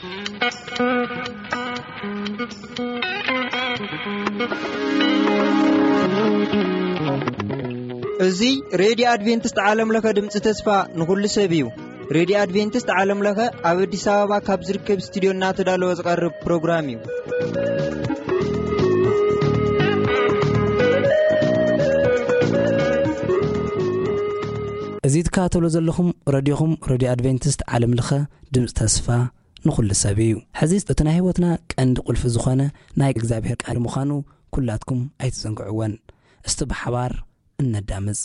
እዚ ሬድዮ ኣድቬንቲስት ዓለም ለኸ ድምፂ ተስፋ ንኹሉ ሰብ እዩ። ሬድዮ ኣድቬንቲስት ዓለም ለኸ ኣብ ኣዲስ ኣበባ ካብ ዝርከብ ስቱዲዮ እናተዳለወ ዝቐርብ ፕሮግራም እዩ። እዚ ትከታተሉ ዘለኹም ረድዮኹም ሬድዮ ኣድቬንቲስት ዓለም ለኸ ድምፂ ተስፋ ንኹሉ ሰብ እዩ። ሕዚ እቲ ናይ ህይወትና ቀንዲ ቁልፊ ዝኾነ ናይ እግዚኣብሔር ቃል ምዃኑ ኩላትኩም ኣይትዘንግዕወን። እስቲ ብሓባር እነዳምፅ።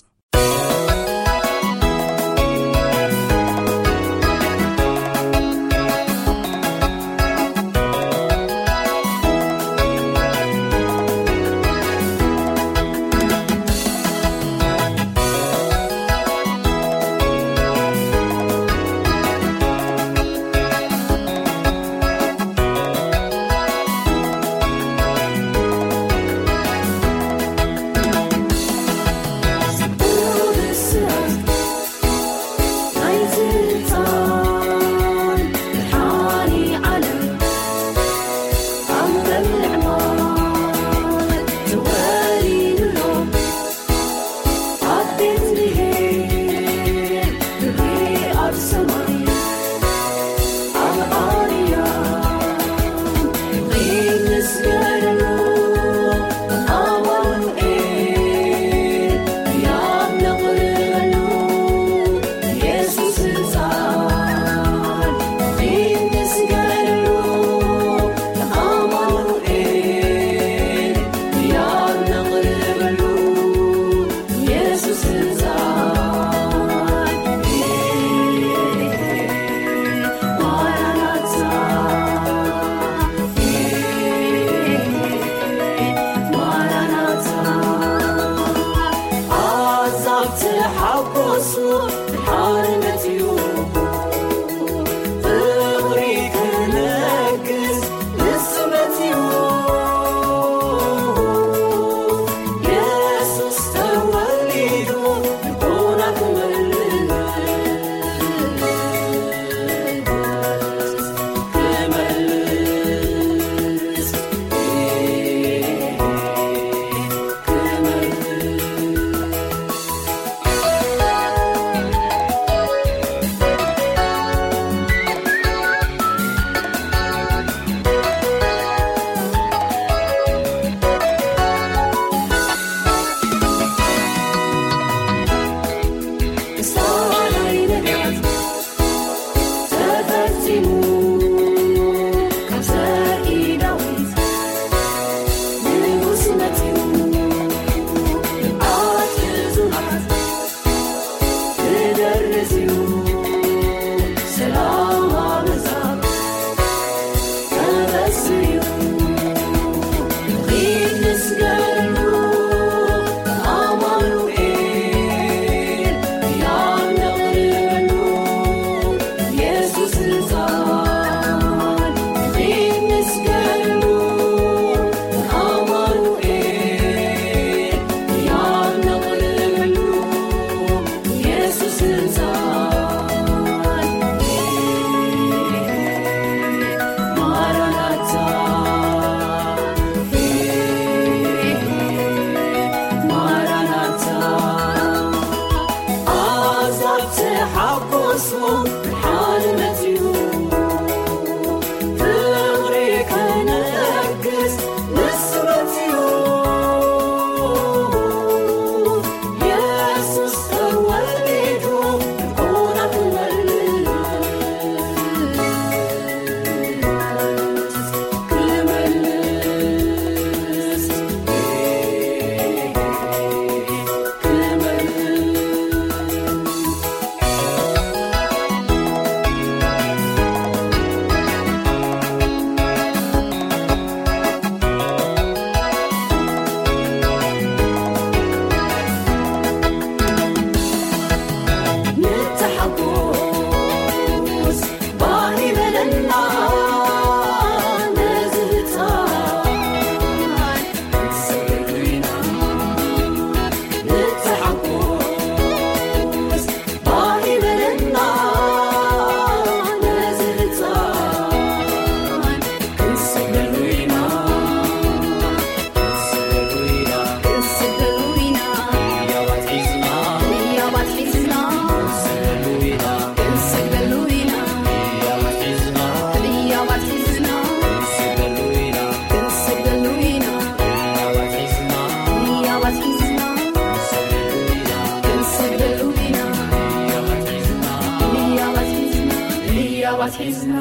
ኣትሒዝና።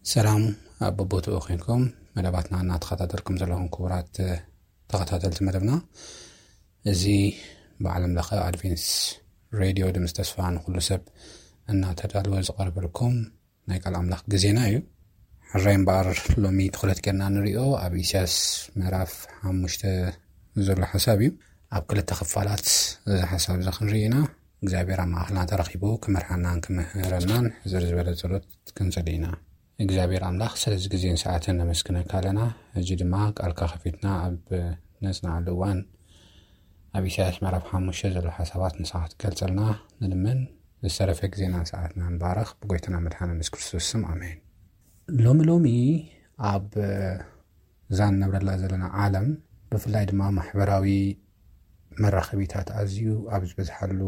ሰላም፣ ኣብ በቦትኡ ኮንኩም መደባትና እናተኸታተልኩም ዘለኹም ክቡራት ተኸታተልቲ መደብና፣ እዚ ብዓለም ለኸ ኣድቬንስ ሬድዮ ድምፂ ተስፋ ንኩሉ ሰብ እናተዳለወ ዝቐርበልኩም ናይ ቃል ኣምላኽ ግዜና እዩ። ሕራይ እምበኣር፣ ሎሚ ትኹረት ጌርና ንሪኦ ኣብ ኢሳያስ ምዕራፍ ሓሙሽተ ዘሎ ሓሳብ እዩ። ኣብ ክልተ ክፋላት እዚ ሓሳብ እዚ ክንርኢ ኢና። እግዚኣብሔር ኣብ ማእኸልና ተረኺቡ ክመርሓናን ክምህረናን ሕዝር ዝበለ ጸሎት ክንጸሊ ኢና። እግዚኣብሔር ኣምላኽ ስለዚ ግዜን ሰዓትን ነመስግነካ ኣለና። ሕጂ ድማ ቃልካ ከፊትና ኣብ ነጽንዓሉ እዋን ኣብ ኢሳያስ ምዕራፍ ሓሙሽተ ዘሎ ሓሳባት ንስኻ ክትገልጸልና ንልምን። ዝተረፈ ግዜናን ሰዓትናን ባረኽ፣ ብጎይታና መድሓን የሱስ ክርስቶስ ስም ኣሜን። ሎሚ ሎሚ ኣብ እዛ ንነብረላ ዘለና ዓለም፣ ብፍላይ ድማ ማሕበራዊ መራኸቢታት ኣዝዩ ኣብ ዝበዝሓሉ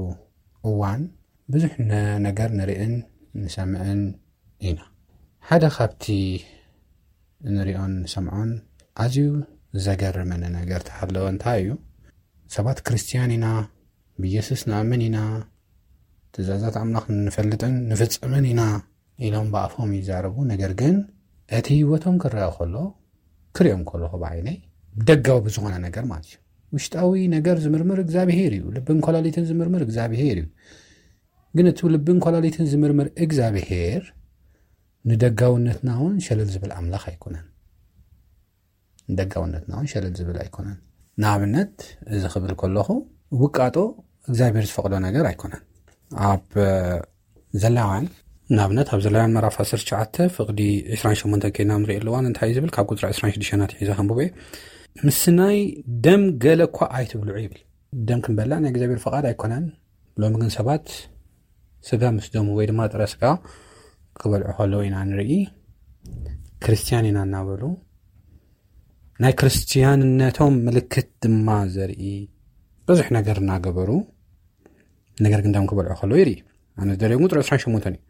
እዋን፣ ብዙሕ ነ-፣ ነገር ንርእን ንሰምዕን ኢና። ሓደ ካብቲ እንሪኦን ንሰምዖን ኣዝዩ ዘገርመኒ ነገር ተሃለወ እንታይ እዩ? ሰባት ክርስትያን ኢና፣ ብኢየሱስ ንኣምን ኢና፣ ትእዛዛት ኣምላኽ ንፈልጥን ንፍጽምን ኢና ኢሎም ብኣፎም ይዛረቡ። ነገር ግን እቲ ህይወቶም ክረአ ከሎ፣ ክሪኦም ከለኹ ብዓይነይ፣ ደጋዊ ብዝኾነ ነገር ማለት እዩ። ውሽጣዊ ነገር ዝምርምር እግዚኣብሄር እዩ። ልብን ኮላሊትን ዝምርምር እግዚኣብሄር እዩ። ግን እቲ ልብን ኮላሊትን ዝምርምር እግዚኣብሄር ንደጋውነትና እውን ሸለል ዝብል ኣምላኽ ኣይኮነን። ንደጋውነትና እውን ሸለል ዝብል ኣይኮነን። ንኣብነት፣ እዚ ክብል ከለኹ፣ ውቃጦ እግዚኣብሄር ዝፈቕዶ ነገር ኣይኮነን። ኣብ ዘሌዋውያን፣ ንኣብነት፣ ኣብ ዘሌዋውያን ምዕራፍ ዓሰርተ ትሽዓተ ፍቕዲ ዕስራን ሸሞንተን ከይና ንርኢ ኣለዋን እንታይ እዩ ዝብል? ካብ ቁጽሪ ዕስራን ሽዱሽተን ኣትሒዘ ከንብቦ እየ። "ምስናይ ደም ገለ እኳ ኣይትብልዑ" ይብል። ደም ክንበልዕ ናይ እግዚኣብሔር ፍቓድ ኣይኮነን። ሎሚ ግን ሰባት ስጋ ምስ ደሙ ወይ ድማ ጥረ ስጋ ክበልዑ ከለዉ ኢና ንርኢ። ክርስትያን ኢና እናበሉ ናይ ክርስትያንነቶም ምልክት ድማ ዘርኢ ብዙሕ ነገር እናገበሩ፣ ነገር ግን ደም ክበልዑ ከለዉ ይርኢ። ኣነ ዝደልዮ ግን ቁጽሪ ዕስራን ሸሞንተን እዩ።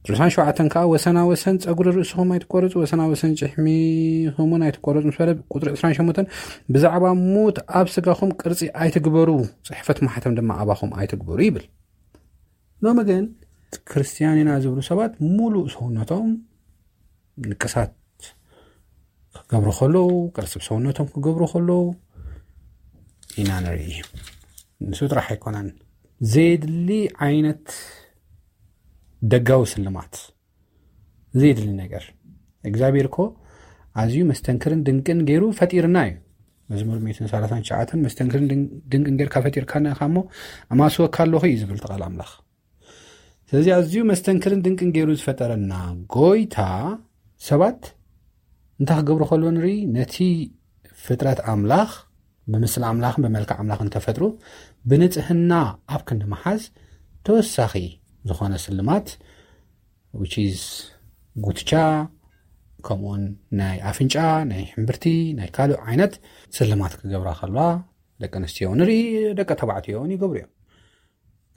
ቁጽሪ ዕስራን ሸውዓተን ከኣ፣ "ወሰና ወሰን ጸጉሪ ርእስኹም ኣይትቆረጹ፣ ወሰና ወሰን ጭሕሚኹም እውን ኣይትቆረጹ" ምስ በለ፣ ቁጽሪ ዕስራን ሸሞንተን፣ "ብዛዕባ ሙት ኣብ ስጋኹም ቅርጺ ኣይትግበሩ፣ ጽሕፈት ማሕተም ድማ ኣባኹም ኣይትግበሩ" ይብል። ሎሚ ግን ክርስትያን ኢና ዝብሉ ሰባት ሙሉእ ሰውነቶም ንቅሳት ክገብሩ ከለዉ፣ ቅርጽ ሰውነቶም ክገብሩ ከለዉ ኢና ንርኢ። ንሱ ጥራሕ ኣይኮነን፣ ዘየድሊ ዓይነት ደጋዊ ስልማት፣ ዘየድሊ ነገር። እግዚኣብሔር እኮ ኣዝዩ መስተንክርን ድንቅን ገይሩ ፈጢርና እዩ። መዝሙር ሚእትን ሰላሳን ትሽዓተን፣ "መስተንክርን ድን-፣ ድንቅን ጌርካ ፈጢርካና ኢኻ እሞ፣ ኣማስወካ ኣለኹ" እዩ ዝብል እቲ ቃል ኣምላኽ። ስለዚ ኣዝዩ መስተንክርን ድንቅን ገይሩ ዝፈጠረና ጎይታ፣ ሰባት እንታይ ክገብሩ ከለዉ ንርኢ? ነቲ ፍጥረት ኣምላኽ፣ ብምስሊ ኣምላኽን ብመልክዕ ኣምላኽን ተፈጥሩ፣ ብንጽህና ኣብ ክንዲ ምሓዝ፣ ተወሳኺ ዝኾነ ስልማት፣ which is ጉትቻ፣ ከምኡውን ናይ ኣፍንጫ፣ ናይ ሕምብርቲ፣ ናይ ካልእ ዓይነት ስልማት ክገብራ ከለዋ፣ ደቂ ኣንስትዮ ንርኢ፣ ደቂ ተባዕትዮ እውን ይገብሩ እዮም።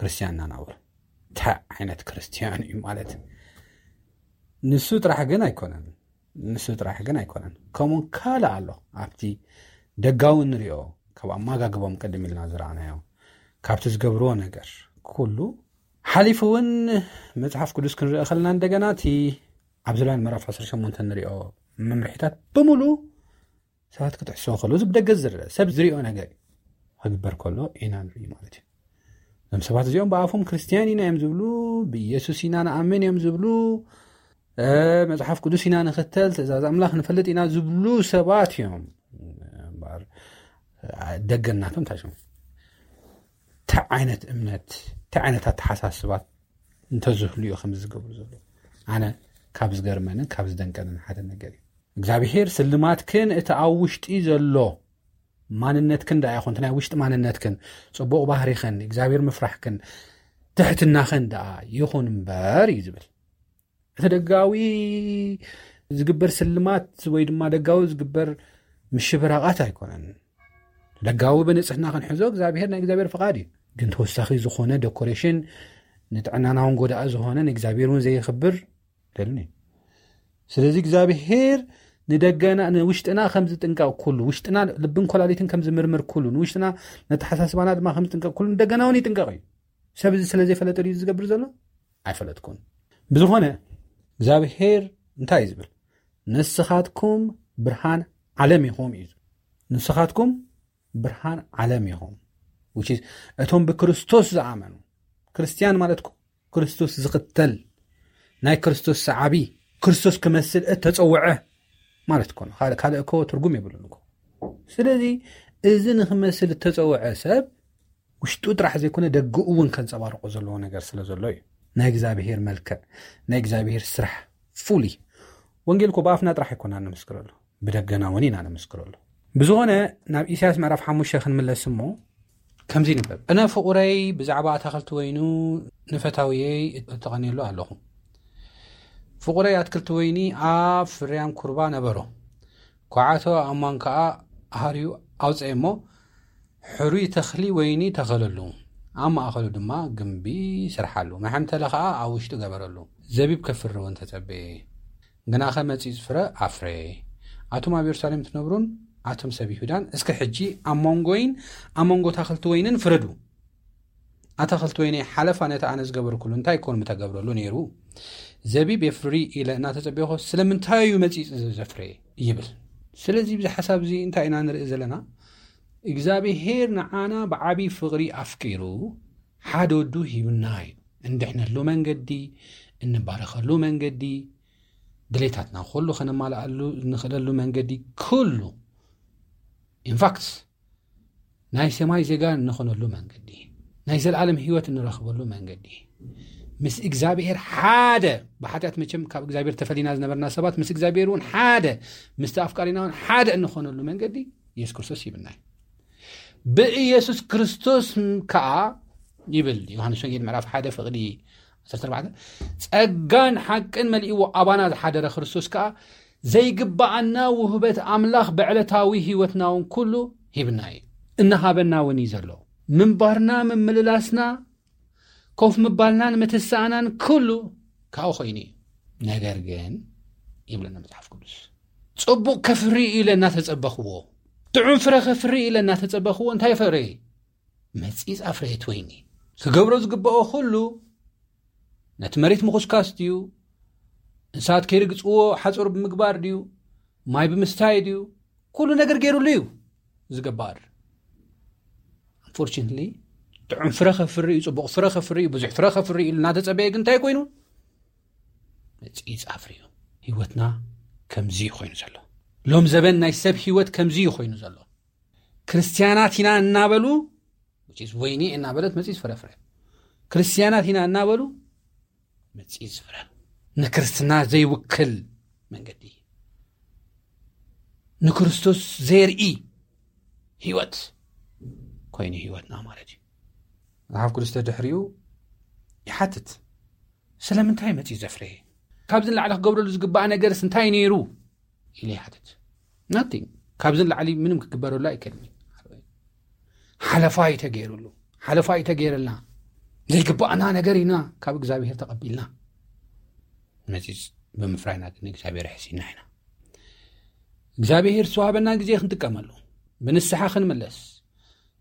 ክርስትያን እናናበሩ። እንታይ ዓይነት ክርስትያን እዩ ማለት? ንሱ ጥራሕ ግን ኣይኮነን። ንሱ ጥራሕ ግን ኣይኮነን። ከምኡ ካልእ ኣሎ። ኣብቲ ደጋዊ ንሪኦ፣ ካብ ኣመጋግቦም ቅድም ኢልና ዝረኣናዮ፣ ካብቲ ዝገብርዎ ነገር፣ ኩሉ ሓሊፉ እውን መጽሓፍ ቅዱስ ክንርኢ ከለና፣ እንደገና እቲ ኣብ ዘሌዋውያን ምዕራፍ ዓሰርተ ሸሞንተ ንሪኦ መምርሒታት ብምሉእ ሰባት ክትሕስዎ ከለዉ፣ እዚ ብደገ ዝረአ ሰብ ዝሪኦ ነገር እዩ። ክግበር ከሎ ኢና ንርኢ ማለት እዩ። እዞም ሰባት እዚኦም ብኣፎም ክርስትያን ኢና እዮም ዝብሉ፣ ብኢየሱስ ኢና ንኣምን እዮም ዝብሉ፣ እ፣ መጽሓፍ ቅዱስ ኢና ንኽተል፣ ትእዛዝ ኣምላኽ ንፈልጥ ኢና ዝብሉ ሰባት እዮም። እምበኣር፣ እ፣ ደገ ናቶም እንታይ ሽሙ? እንታይ ዓይነት እምነት፣ እንታይ ዓይነት ኣተሓሳስባት እንተዝህሉ እዩ ከምዚ ዝገብሩ ዘለዉ? ኣነ ካብ ዝገርመንን ካብ ዝደንቀንን ሓደ ነገር እዩ። እግዚኣብሄር ስልማትክን እቲ ኣብ ውሽጢ ዘሎ ማንነትክን ደኣ ይኹን፣ እቲ ናይ ውሽጢ ማንነትክን፣ ጽቡቕ ባህሪኽን፣ እግዚኣብሄር ምፍራሕክን፣ ትሕትናኽን ደኣ ይኹን እምበር እዩ ዝብል። እቲ ደጋዊ ዝግበር ስልማት ወይ ድማ ደጋዊ ዝግበር ምሽብራቓት ኣይኮነን። ደጋዊ ብንጽህና ክንሕዞ እግዚኣብሔር ናይ እግዚኣብሔር ፍቓድ እዩ። ግን ተወሳኺ ዝኾነ ዶኮሬሽን ንጥዕናና እውን ጎዳኢ ዝኾነ ንእግዚኣብሔር እውን ዘየኽብር ደልን እዩ። ስለዚ እግዚኣብሔር ንደገና ንውሽጥና ከም ዝጥንቀቕ ኩሉ ውሽጥና ልብን ኮላሊትን ከም ዝምርምር ኩሉ ንውሽጥና ነተሓሳስባና ድማ ከም ዝጥንቀቕ ኩሉ ንደገና እውን ይጥንቀቕ እዩ። ሰብ እዚ ስለ ዘይፈለጠ ድዩ ዝገብር ዘሎ? ኣይፈለጥኩን። ብዝኾነ እግዚኣብሔር እንታይ እዩ ዝብል? ንስኻትኩም ብርሃን ዓለም ኢኹም እዩ ዝብል። ንስኻትኩም ብርሃን ዓለም ኢኹም። Which is እቶም ብክርስቶስ ዝኣመኑ ክርስትያን ማለት እኮ ክርስቶስ ዝኽተል ናይ ክርስቶስ ሰዓቢ ክርስቶስ ክመስል እተጸውዐ ማለት እኮ ነው። ካልእ ካልእ እኮ ትርጉም የብሉን እኮ። ስለዚ እዚ ንኽመስል እተጸውዐ ሰብ ውሽጡ ጥራሕ ዘይኮነ ደገኡ እውን ከንጸባርቆ ዘለዎ ነገር ስለ ዘሎ እዩ። ናይ እግዚኣብሔር መልክዕ ናይ እግዚኣብሔር ስራሕ ፉሊ ወንጌል እኮ ብኣፍና ጥራሕ ኣይኮና ንምስክረሉ ብደገና እውን ኢና ንምስክረሉ። ብዝኾነ ናብ ኢሳያስ ምዕራፍ ሓሙሽተ ክንምለስ እሞ ከምዚ ይንበብ። እነ ፍቑረይ ብዛዕባ ኣታኽልቲ ወይኑ ንፈታውየይ እተቐንየሉ ኣለኹ። ፍቑረይ ኣትክልቲ ወይኒ ኣብ ፍርያም ኩርባ ነበሮ። ኳዓቶ ኣማን ከኣ ኣህርዩ ኣውፀ እሞ ሕሩይ ተኽሊ ወይኒ ተኸለሉ። ኣብ ማእኸሉ ድማ ግምቢ ስርሓሉ። መሐምተለ ከኣ ኣብ ውሽጡ ገበረሉ። ዘቢብ ከፍሪ እውን ተጸበየ። ግናኸ መጺጽ ፍረ ኣፍረየ። ኣቱም ኣብ የሩሳሌም ትነብሩን ኣቱም ሰብ ይሁዳን እስከ ሕጂ ኣብ መንጎይን ኣብ መንጎ ኣታኽልቲ ወይንን ፍረዱ። ኣታኽልቲ ወይነይ ሓለፋ ነቲ ኣነ ዝገበርኩሉ እንታይ ኮን ምተገብረሉ ነይሩ? ዘቢብ የፍሪ ኢለ እናተጸበኹ ስለምንታይ እዩ መጺጽ ዘፍረየ ይብል። ስለዚ ብዚ ሓሳብ እዚ እንታይ ኢና ንርኢ ዘለና? እግዚኣብሔር ንዓና ብዓቢ ፍቕሪ ኣፍቂሩ ሓደ ወዱ ሂብና እዩ። እንድሕነሉ መንገዲ፣ እንባረኸሉ መንገዲ፣ ድሌታትና ኩሉ ከነማልኣሉ እንኽእለሉ መንገዲ ኩሉ ኢንፋክት ናይ ሰማይ ዜጋ እንኾነሉ መንገዲ ናይ ዘልዓለም ህይወት እንረኽበሉ መንገዲ ምስ እግዚኣብሔር ሓደ ብሓጢኣት መቸም ካብ እግዚኣብሔር ተፈሊና ዝነበርና ሰባት ምስ እግዚኣብሔር እውን ሓደ ምስቲ ኣፍቃሪና እውን ሓደ እንኾነሉ መንገዲ ኢየሱስ ክርስቶስ ይብልና እዩ። ብኢየሱስ ክርስቶስ ከዓ ይብል ዮሃንስ ወንጌል ምዕራፍ ሓደ ፍቕዲ ዓሰርተ ኣርባዕተ ጸጋን ሓቅን መሊእዎ ኣባና ዝሓደረ ክርስቶስ ከዓ ዘይግባኣና ውህበት ኣምላኽ ብዕለታዊ ህይወትና እውን ኩሉ ሂብና እዩ እናሃበና እውን እዩ ዘሎ። ምንባርና ምምልላስና ኮፍ ምባልናን ምትስኣናን ኩሉ ካብኡ ኮይኑ እዩ። ነገር ግን ይብለና መጽሓፍ ቅዱስ ጽቡቕ ከፍሪ ኢለ እናተጸበኽዎ ጥዑም ፍረ ከፍሪ ኢለ እናተጸበኽዎ እንታይ ፈረየ? መጺጽ ኣፍረየት ወይኒ። ክገብሮ ዝግብኦ ኩሉ ነቲ መሬት ምኹስካስ ድዩ? እንስሳት ከይርግጽዎ ሓጹር ብምግባር ድዩ? ማይ ብምስታይ ድዩ? ኩሉ ነገር ገይሩሉ እዩ ዝገባር። ኣንፎርችንትሊ ጥዑም ፍረ ከፍሪ እዩ፣ ጽቡቕ ፍረ ከፍሪ እዩ፣ ብዙሕ ፍረ ከፍሪ እዩ እናተጸበየ ግን እንታይ ኮይኑ? መጺጽ ኣፍርዩ። ህይወትና ከምዚ እዩ ኮይኑ ዘሎ። ሎም ዘበን ናይ ሰብ ህይወት ከምዚ እዩ ኮይኑ ዘሎ። ክርስትያናት ኢና እናበሉ ወይኒ እናበለት መጺጽ ፍረ ፍረ። ክርስትያናት ኢና እናበሉ መጺጽ ፍረ። ንክርስትና ዘይውክል መንገዲ ንክርስቶስ ዘርኢ ህይወት ኮይኑ ህይወትና ማለት እዩ። መጽሓፍ ቅዱስ ተድሕሪኡ ይሓትት ስለምንታይ መጺ ዘፍረየ ካብዚ ንላዕሊ ክገብረሉ ዝግባእ ነገርስ እንታይ ነይሩ ኢለ ይሓትት። ናቲንግ ካብዚ ንላዕሊ ምንም ክግበረሉ ኣይክእልን። ሓለፋ እዩ ተገይሩሉ ሓለፋ እዩ ተገይርልና ዘይግባእና ነገር ኢና ካብ እግዚኣብሔር ተቐቢልና መጺጽ ብምፍራይና ግን እግዚኣብሔር ኣሕሲና ኢና እግዚኣብሔር ዝተዋህበና ግዜ ክንጥቀመሉ ብንስሓ ክንምለስ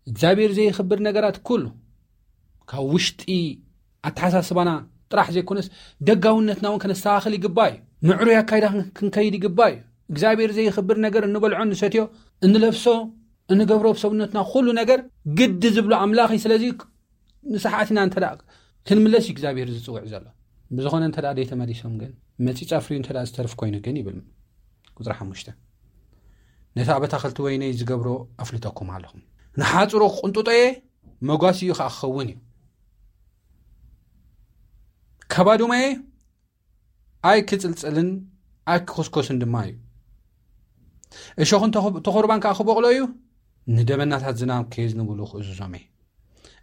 እግዚኣብሔር ዘይኽብር ነገራት ኩሉ ካብ ውሽጢ ኣተሓሳስባና ጥራሕ ዘይኮነስ ደጋውነትና እውን ከነስተኻኽል ይግባ እዩ። ምዕሩይ ኣካይዳ ክንከይድ ይግባ እዩ። እግዚኣብሔር ዘይኽብር ነገር እንበልዖ እንሰትዮ እንለብሶ እንገብሮ ብሰብነትና ኩሉ ነገር ግዲ ዝብሎ ኣምላኽ እዩ። ስለዚ ንስሓት ኢና እንተ ክንምለስ እዩ እግዚኣብሔር ዝፅውዕ ዘሎ። ብዝኾነ እንተ ደይተመሊሶም ግን መፂ ፃፍርዩ እንተ ዝተርፍ ኮይኑ ግን ይብል ቁፅሪ ሓሙሽተ ነቲ ኣብ ኣታኽልቲ ወይነይ ዝገብሮ ኣፍልጠኩም ኣለኹም። ንሓፅሮ ክቕንጥጦ እየ መጓሲኡ ከዓ ክኸውን እዩ። ከባዱመየ ኣይክጽልጽልን ኣይክኹስኮስን ድማ እዩ። እሾኽን ተኹርባን ከዓ ክበቕሎ እዩ። ንደበናታት ዝናም ከየዝንብሉ ክእዝዞም እየ።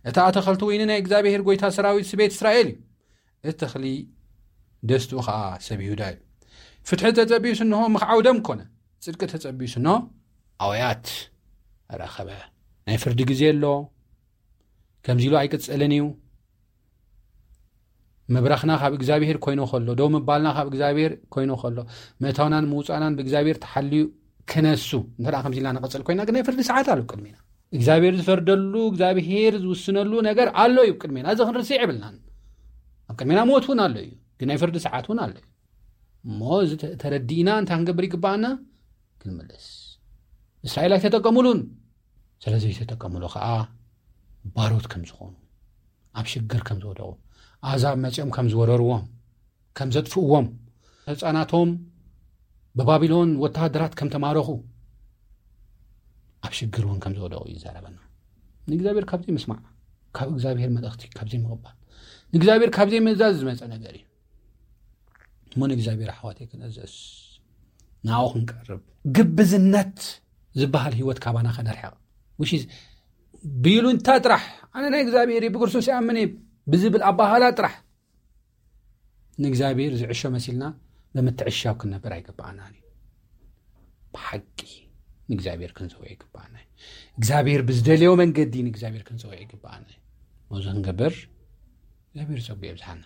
እቲ ኣተኸልቲ ወይኒ ናይ እግዚኣብሔር ጎይታ ሰራዊት ስቤት እስራኤል እዩ። እቲ ተኽሊ ደስትኡ ከዓ ሰብ ይሁዳ እዩ። ፍትሒ ተጸቢዩ ስንሆ ምኽዓው ደም ኮነ፣ ጽድቂ ተጸቢዩ ስንሆ ኣውያት ረኸበ። ናይ ፍርዲ ግዜ ኣሎ፣ ከምዚ ኢሉ ኣይቅጽልን እዩ። ምብራኽና ካብ እግዚኣብሔር ኮይኑ ከሎ፣ ደው ምባልና ካብ እግዚኣብሔር ኮይኑ ከሎ፣ ምእታውናን ምውፃእናን ብእግዚኣብሔር ተሓልዩ ክነሱ እንተ ደኣ ከምዚ ኢልና ንቐጽል ኮይና ግን ናይ ፍርዲ ሰዓት ኣሎ ቅድሚና። እግዚኣብሔር ዝፈርደሉ እግዚኣብሔር ዝውስነሉ ነገር ኣሎ እዩ ቅድሚና። እዚ ክንርስዕ የብልናን። ኣብ ቅድሚና ሞት እውን ኣሎ እዩ፣ ግን ናይ ፍርዲ ሰዓት እውን ኣሎ እዩ። እሞ እዚ ተ- ተረዲእና እንታይ ክንገብር ይግባኣና? ክንምልስ። እስራኤል ኣይተጠቀሙሉን። ስለ ዘይተጠቀሙሉ ከዓ ባሮት ከም ዝኾኑ፣ ኣብ ሽግር ከም ዝወደቑ፣ ኣዛብ መፂኦም ከም ዝወረርዎም፣ ከም ዘጥፍእዎም፣ ህፃናቶም ብባቢሎን ወተሃደራት ከም ተማረኹ፣ ኣብ ሽግር እውን ከም ዝወደቑ ይዛረበና። ንእግዚኣብሔር ካብ ዘይምስማዕ፣ ካብ እግዚኣብሔር መልእኽቲ ካብ ዘይምቕባል፣ ንእግዚኣብሔር ካብ ዘይምእዛዝ ዝመፀ ነገር እዩ። እሞ ንእግዚኣብሔር ኣሕዋተይ ክንእዘዝ፣ ናብኡ ክንቀርብ፣ ግብዝነት ዝበሃል ህይወት ካባና ከነርሕቕ፣ which is ብይሉንታ ጥራሕ፣ ኣነ ናይ እግዚኣብሔር እየ፣ ብክርስቶስ ይኣምን እየ ብዝብል ኣባህላ ጥራሕ ንእግዚኣብሔር ዝዕሾ መሲልና ብምትዕሻው ክንነብር ኣይግባኣናን እዩ። ብሓቂ ንእግዚኣብሔር ክንሰውዕ ይግባኣና እዩ። እግዚኣብሔር ብዝደልዮ መንገዲ ንእግዚኣብሔር ክንሰውዕ ይግባኣና እዩ። ነዚ ክንገብር እግዚኣብሔር ጸጉ የብዝሓና።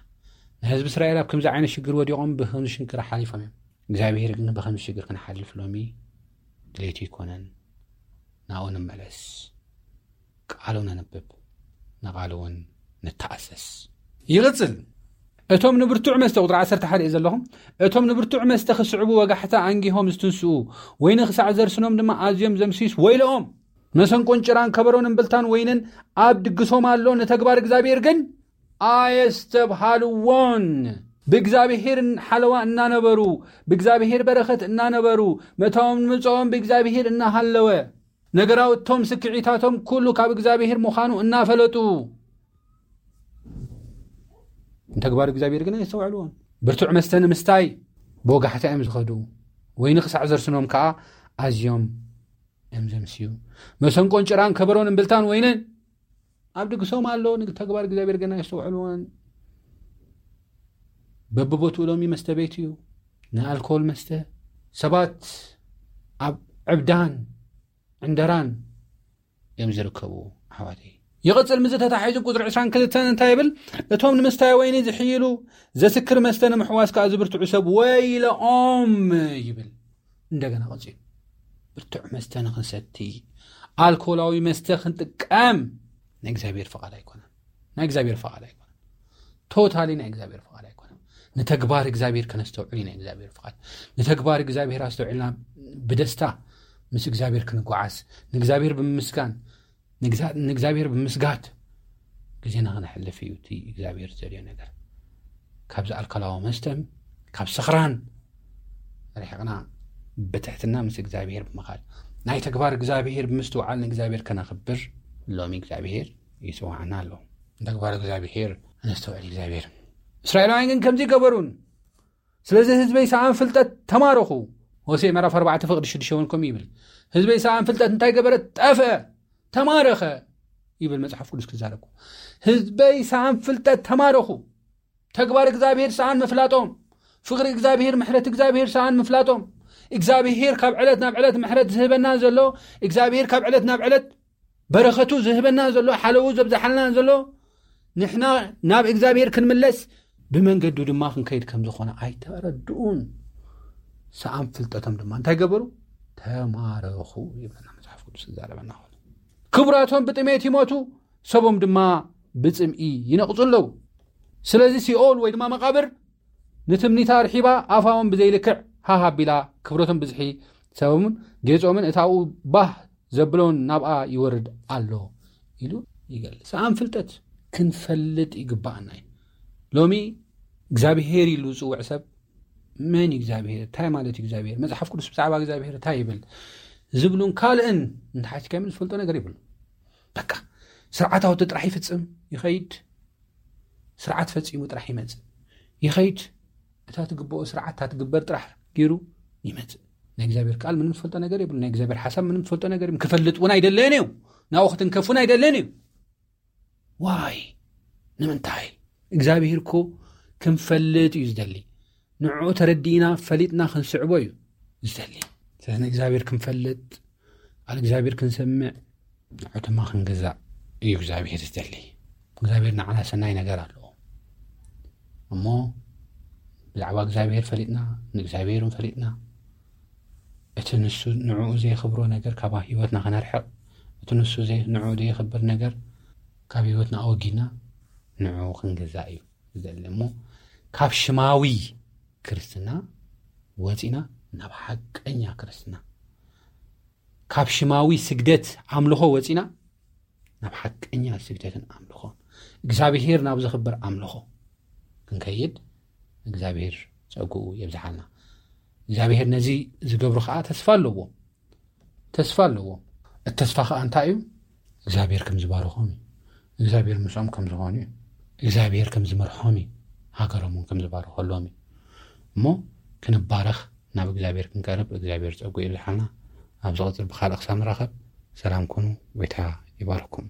ንህዝቢ እስራኤል ኣብ ከምዚ ዓይነት ሽግር ወዲቖም ብከምዚ ሽንክራ ሓሊፎም እዮም። እግዚኣብሔር ግን ብከምዚ ሽግር ክንሓልፍ ሎሚ ድሌቱ ኣይኮነን። ናብኡ ንመለስ፣ ቃሉ ነንብብ፣ ንቓሉ እውን ንተኣሰስ። ይቕጽል። እቶም ንብርቱዕ መስተ፣ ቁጥሪ ዓሰርተ ሓደ እዩ ዘለኹም፣ እቶም ንብርቱዕ መስተ ክስዕቡ ወጋሕታ ኣንጊሆም ዝትንስኡ፣ ወይኒ ክሳዕ ዘርስኖም ድማ ኣዝዮም ዘምስዩስ ወይለኦም። መሰንቆን ጭራን ከበሮን እምብልታን ወይንን ኣብ ድግሶም ኣሎ፣ ንተግባር እግዚኣብሔር ግን ኣየስተብሃልዎን። ብእግዚኣብሔር ሓለዋ እናነበሩ፣ ብእግዚኣብሔር በረኸት እናነበሩ፣ መታዎም ምጽኦም ብእግዚኣብሔር እናሃለወ፣ ነገራውቶም ስክዒታቶም ኩሉ ካብ እግዚኣብሔር ምዃኑ እናፈለጡ፣ ንተግባር እግዚኣብሔር ግን ኣየስተውዕልዎን። ብርቱዕ መስተ ንምስታይ ብወጋሕታ እዮም ዝኸዱ፣ ወይኒ ክሳዕ ዘርስኖም ከኣ ኣዝዮም እዮም ዘምስዩ። መሰንቆን ጭራን ከበሮን እምብልታን ወይንን ኣብ ድግሶም ኣሎ፣ ንተግባር እግዚኣብሔር ግን ኣየስተውዕልዎን። በብቦትኡ ሎሚ መስተ ቤት እዩ፣ ናይ ኣልኮል መስተ። ሰባት ኣብ ዕብዳን ዕንደራን እዮም ዝርከቡ፣ ኣሕዋተይ። ይቕጽል፣ ምስዚ ተታሒዙ ቁጽሪ ዕስራን ክልተን እንታይ ይብል? እቶም ንምስታይ ወይኒ ዝሕይሉ፣ ዘስክር መስተ ንምሕዋስ ከኣ ዝብርትዑ ሰብ ወይለኦም ይብል። እንደገና ቀጺሉ፣ ብርቱዕ መስተ ንኽንሰቲ፣ ኣልኮላዊ መስተ ክንጥቀም ናይ እግዚኣብሔር ፍቓድ ኣይኮነን። ናይ እግዚኣብሔር ፍቓድ ኣይኮነን። ቶታሊ ናይ እግዚኣብሔር ፍቓድ ኣይኮነን። ንተግባር እግዚኣብሔር ከነስተውዕል እዩ ናይ እግዚኣብሔር ፍቓድ። ንተግባር እግዚኣብሔር ኣስተውዒልና ብደስታ ምስ እግዚኣብሔር ክንጓዓዝ፣ ንእግዚኣብሔር ብምምስጋን፣ ንግዛ- ንእግዚኣብሔር ብምስጋድ ግዜና ከነሕልፍ እዩ እቲ እግዚኣብሔር ዝደልዮ ነገር። ካብዚ ኣልኮላዊ መስተን ካብ ስኽራን ርሒቕና ብትሕትና ምስ እግዚኣብሔር ብምኻድ፣ ናይ ተግባር እግዚኣብሔር ብምስትውዓል ንእግዚኣብሔር ከነኽብር ሎሚ እግዚኣብሔር ይጽውዓና ኣሎ። ንተግባር እግዚኣብሔር ኣነስተውዕል እግዚኣብሔር። እስራኤላውያን ግን ከምዚ ገበሩን። ስለዚ ህዝበይ ሰኣን ፍልጠት ተማረኹ። ሆሴዕ ምዕራፍ ኣርባዕተ ፍቕዲ ሽዱሽተ እውን ከምኡ ይብል። ህዝበይ ሰኣን ፍልጠት እንታይ ገበረ? ጠፍአ፣ ተማረኸ ይብል መጽሓፍ ቅዱስ ክዛረብ። ህዝበይ ሰኣን ፍልጠት ተማረኹ። ተግባር እግዚኣብሔር ሰኣን ምፍላጦም፣ ፍቕሪ እግዚኣብሔር፣ ምሕረት እግዚኣብሔር ሰኣን ምፍላጦም፣ እግዚኣብሔር ካብ ዕለት ናብ ዕለት ምሕረት ዝህበና ዘሎ፣ እግዚኣብሔር ካብ ዕለት ናብ ዕለት በረኸቱ ዝህበና ዘሎ፣ ሓለዉ ዘብዝሓልና ዘሎ፣ ንሕና ናብ እግዚኣብሔር ክንምለስ ብመንገዱ ድማ ክንከይድ ከም ዝኾነ ኣይተረድኡን። ሰኣን ፍልጠቶም ድማ እንታይ ገበሩ? ተማረኹ ይብለና መጽሓፍ ቅዱስ ክዛረበና ከሎ። ክቡራቶም ብጥሜት ይሞቱ፣ ሰቦም ድማ ብጽምኢ ይነቕጹ ኣለዉ። ስለዚ ሲኦል ወይ ድማ መቓብር ንትምኒታ ኣርሒባ ኣፋውን ብዘይልክዕ ሃሃ ኣቢላ ክብረቶም ብዝሒ ሰቦምን ጌጾምን እታኡ ባህ ዘብሎን ናብኣ ይወርድ ኣሎ ኢሉ ይገልጽ። ሰኣን ፍልጠት ክንፈልጥ ይግባኣና እዩ። ሎሚ እግዚኣብሔር ኢሉ ዝጽውዕ ሰብ መን እዩ እግዚኣብሔር? እንታይ ማለት እዩ እግዚኣብሔር? መጽሓፍ ቅዱስ ብዛዕባ እግዚኣብሔር እንታይ ይብል? ዝብሉን ካልእን እንተሓቲካ ዝፈልጦ ነገር ይብሉ። በቃ ስርዓታዊ ጥራሕ ይፍጽም ይኸይድ። ስርዓት ፈጺሙ ጥራሕ ይመጽእ ይኸይድ። እታ ትግብኦ ስርዓት እታ ትግበር ጥራሕ ገይሩ ይመጽእ። ናይ እግዚኣብሔር ቃል ምንም ዝፈልጦ ነገር የብሉ። ናይ እግዚኣብሔር ሓሳብ ምንም ዝፈልጦ ነገር የብሉ። ክፈልጥ እውን ኣይደለየን እዩ። ናብኡ ክትንከፍ እውን ኣይደለየን እዩ። ዋይ ንምንታይ? እግዚኣብሔር እኮ ክንፈልጥ እዩ ዝደሊ። ንዕኡ ተረዲእና ፈሊጥና ክንስዕቦ እዩ ዝደሊ። ስለዚ ንእግዚኣብሔር ክንፈልጥ፣ ቃል እግዚኣብሔር ክንሰምዕ፣ ንዕኡ ድማ ክንገዛእ እዩ እግዚኣብሔር ዝደሊ። እግዚኣብሔር ንዓና ሰናይ ነገር ኣለዎ። እሞ ብዛዕባ እግዚኣብሔር ፈሊጥና፣ ንእግዚኣብሔር ፈሊጥና፣ እቲ ንሱ ንዕኡ ዘየኽብሮ ነገር ካብ ህይወትና ከነርሕቕ፣ እቲ ንሱ ዘይ-፣ ንዕኡ ዘየኽብር ነገር ካብ ህይወትና ኣወጊድና ንዕኡ ክንገዛእ እዩ ዝደሊ። እሞ ካብ ሽማዊ ክርስትና ወፂና ናብ ሓቀኛ ክርስትና፣ ካብ ሽማዊ ስግደት ኣምልኾ ወፂና ናብ ሓቀኛ ስግደትን ኣምልኾን፣ እግዚኣብሔር ናብ ዘኽብር ኣምልኾ ክንከይድ እግዚኣብሔር ጸግኡ የብዝሓልና። እግዚኣብሔር ነዚ ዝገብሩ ኸዓ ተስፋ ኣለዎ። ተስፋ ኣለዎ። እቲ ተስፋ ኸዓ እንታይ እዩ? እግዚኣብሔር ከም ዝባርኾም እዩ። እግዚኣብሔር ምስኦም ከም ዝኾኑ እዩ። እግዚኣብሔር ከም ዝመርሖም እዩ። ሃገሮም እውን ከም ዝባርኸሎም እዩ። እሞ ክንባረኽ፣ ናብ እግዚኣብሔር ክንቀርብ እግዚኣብሔር ጸግኡ የብዝሓልና። ኣብ ዝቕጽል ብኻልእ ክሳብ ንራኸብ ሰላም ኩኑ። ጎይታ ይባርኩም።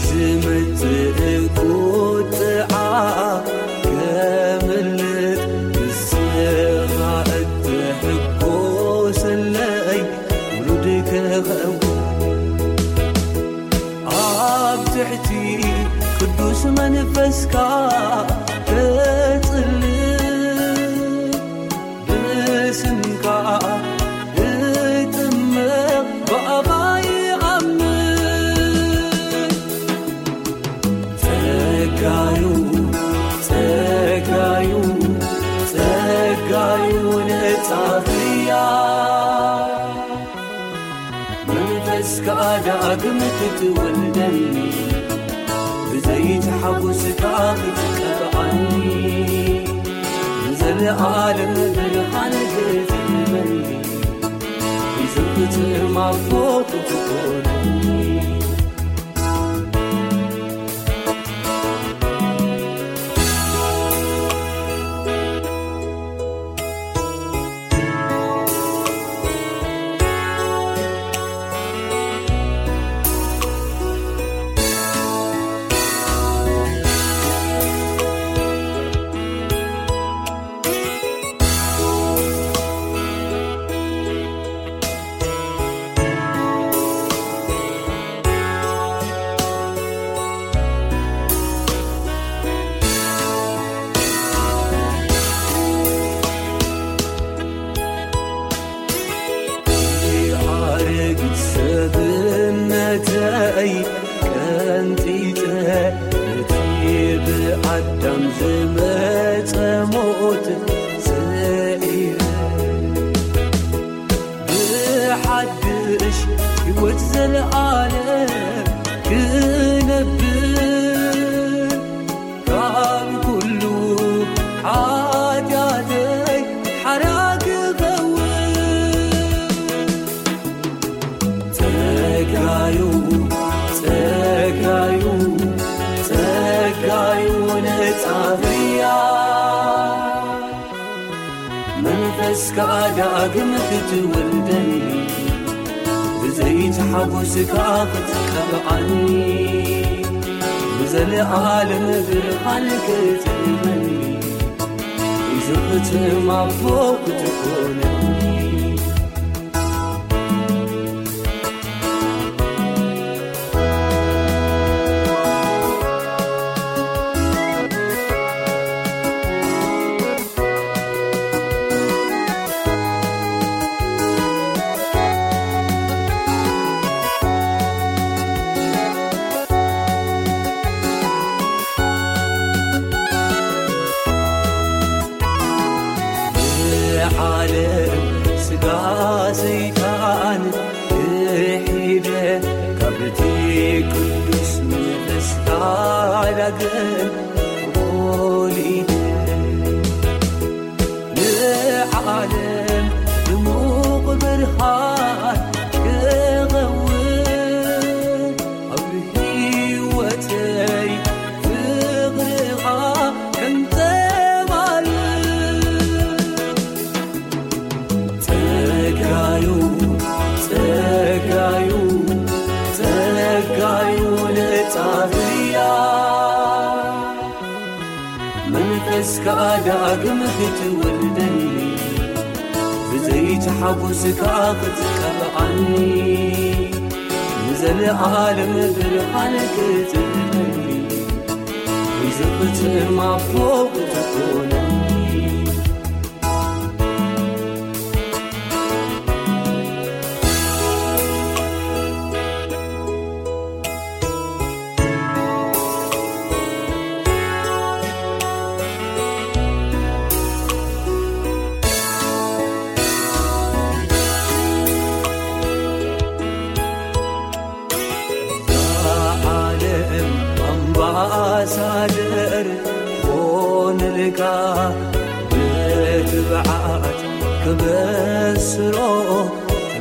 ዝመጽእ ቁጥዓ ከምልጥ ንስኻ እትሕጎሰለይ ውሉድ ክኸውን ኣብ ትሕቲ ቅዱስ መንፈስካ ክጽሊ ብስምካ እጥምቕ ብኣኻ ይኣምን። ጸጋዩ፣ ጸጋዩ፣ ጸጋዩ ነጻ ፍርያ። መንፈስካ ዳግም ክትወልደኒ፣ ብዘይቲ ሓጎስካ ክትቀብኣኒ፣ ንዘለኣለም ብርሃን ክትህበኒ፣ ይዝኽትም ኣቦ ክትኮነኒ። ኣረጊት ሰብነተይ ቀንጢጠ፣ ነቲ ብኣዳም ዝመጸ ሞት ስዒረ፣ ብሓድሽ ህይወት ዘለኣለም ክነብር፣ ካብ ኩሉ ሓጢኣተይ ሓራ ክኸውን። ጸጋዩ፣ ጸጋዩ፣ ጸጋዩ ነጻ ፍርያ። መንፈስካ ዳግም ክትወልደኒ፣ ብዘይቲ ሓጎስካ ክትቀብኣኒ፣ ብዘለኣለም ብርሃን ክትህበኒ፣ ይዝኽትም ኣቦ ክትኮነኒ። ስጋ ሰይጣን ክሒደ፣ ካብቲ ቅዱስ መንፈስካ ዳግም ወሊደ፣ ንዓለም ድሙቕ ብርሃን ክኸውን፣ ኣብ ህይወተይ ፍቕርኻ ከንጸባርቕ። ጸጋዩ፣ ጸጋዩ፣ ጸጋዩ ነጻ ህያ። መንፈስካ ዳግም ክትወልደኒ፣ ብዘይቲ ሓጎስካ ክትቀብኣኒ፣ ንዘለኣለም ብርሃን ክትህበኒ፣ ንዝኽትም ኣቦ ክትኮነኒ። ዓለም ኣምባሳደር ኾንልካ፣ ብትብዓት ክበስሮ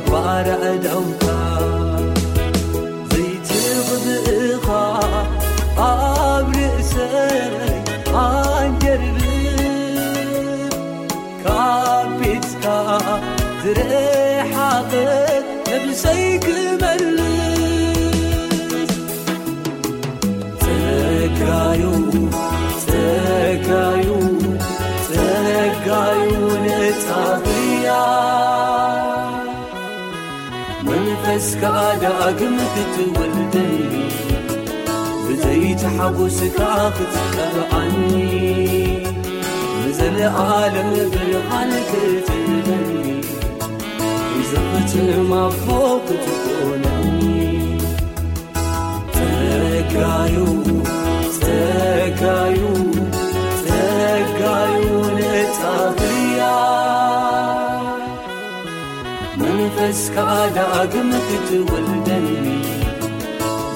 ባርዕ ደምካ። ዘይትቕብእኻ ኣብ ርእሰይ ኣንጀርብብ፣ ካብ ቤትካ ዝረሓቐ ነብሰይ ክመልስ። ጸጋዩ፣ ጸጋዩ፣ ጸጋዩ ነጻ ህያ። መንፈስካ ዳግም ክትወልደኒ፣ ብዘይቲ ሓጎስካ ክትቀብኣኒ፣ ንዘለኣለም ብርሃን ክትህበኒ፣ ንዝኽትም ኣቦ ክትኮነኒ። ጸጋዩ፣ ጸጋዩ፣ ጸጋዩ ነጻ ህያ። መንፈስካ ዳግም ክትወልደኒ፣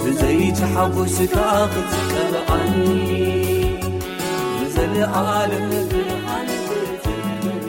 ብዘይቲ ሓጎስካ ክትቀብኣኒ፣ ንዘለኣለም ብርሃን ክትህበኒ።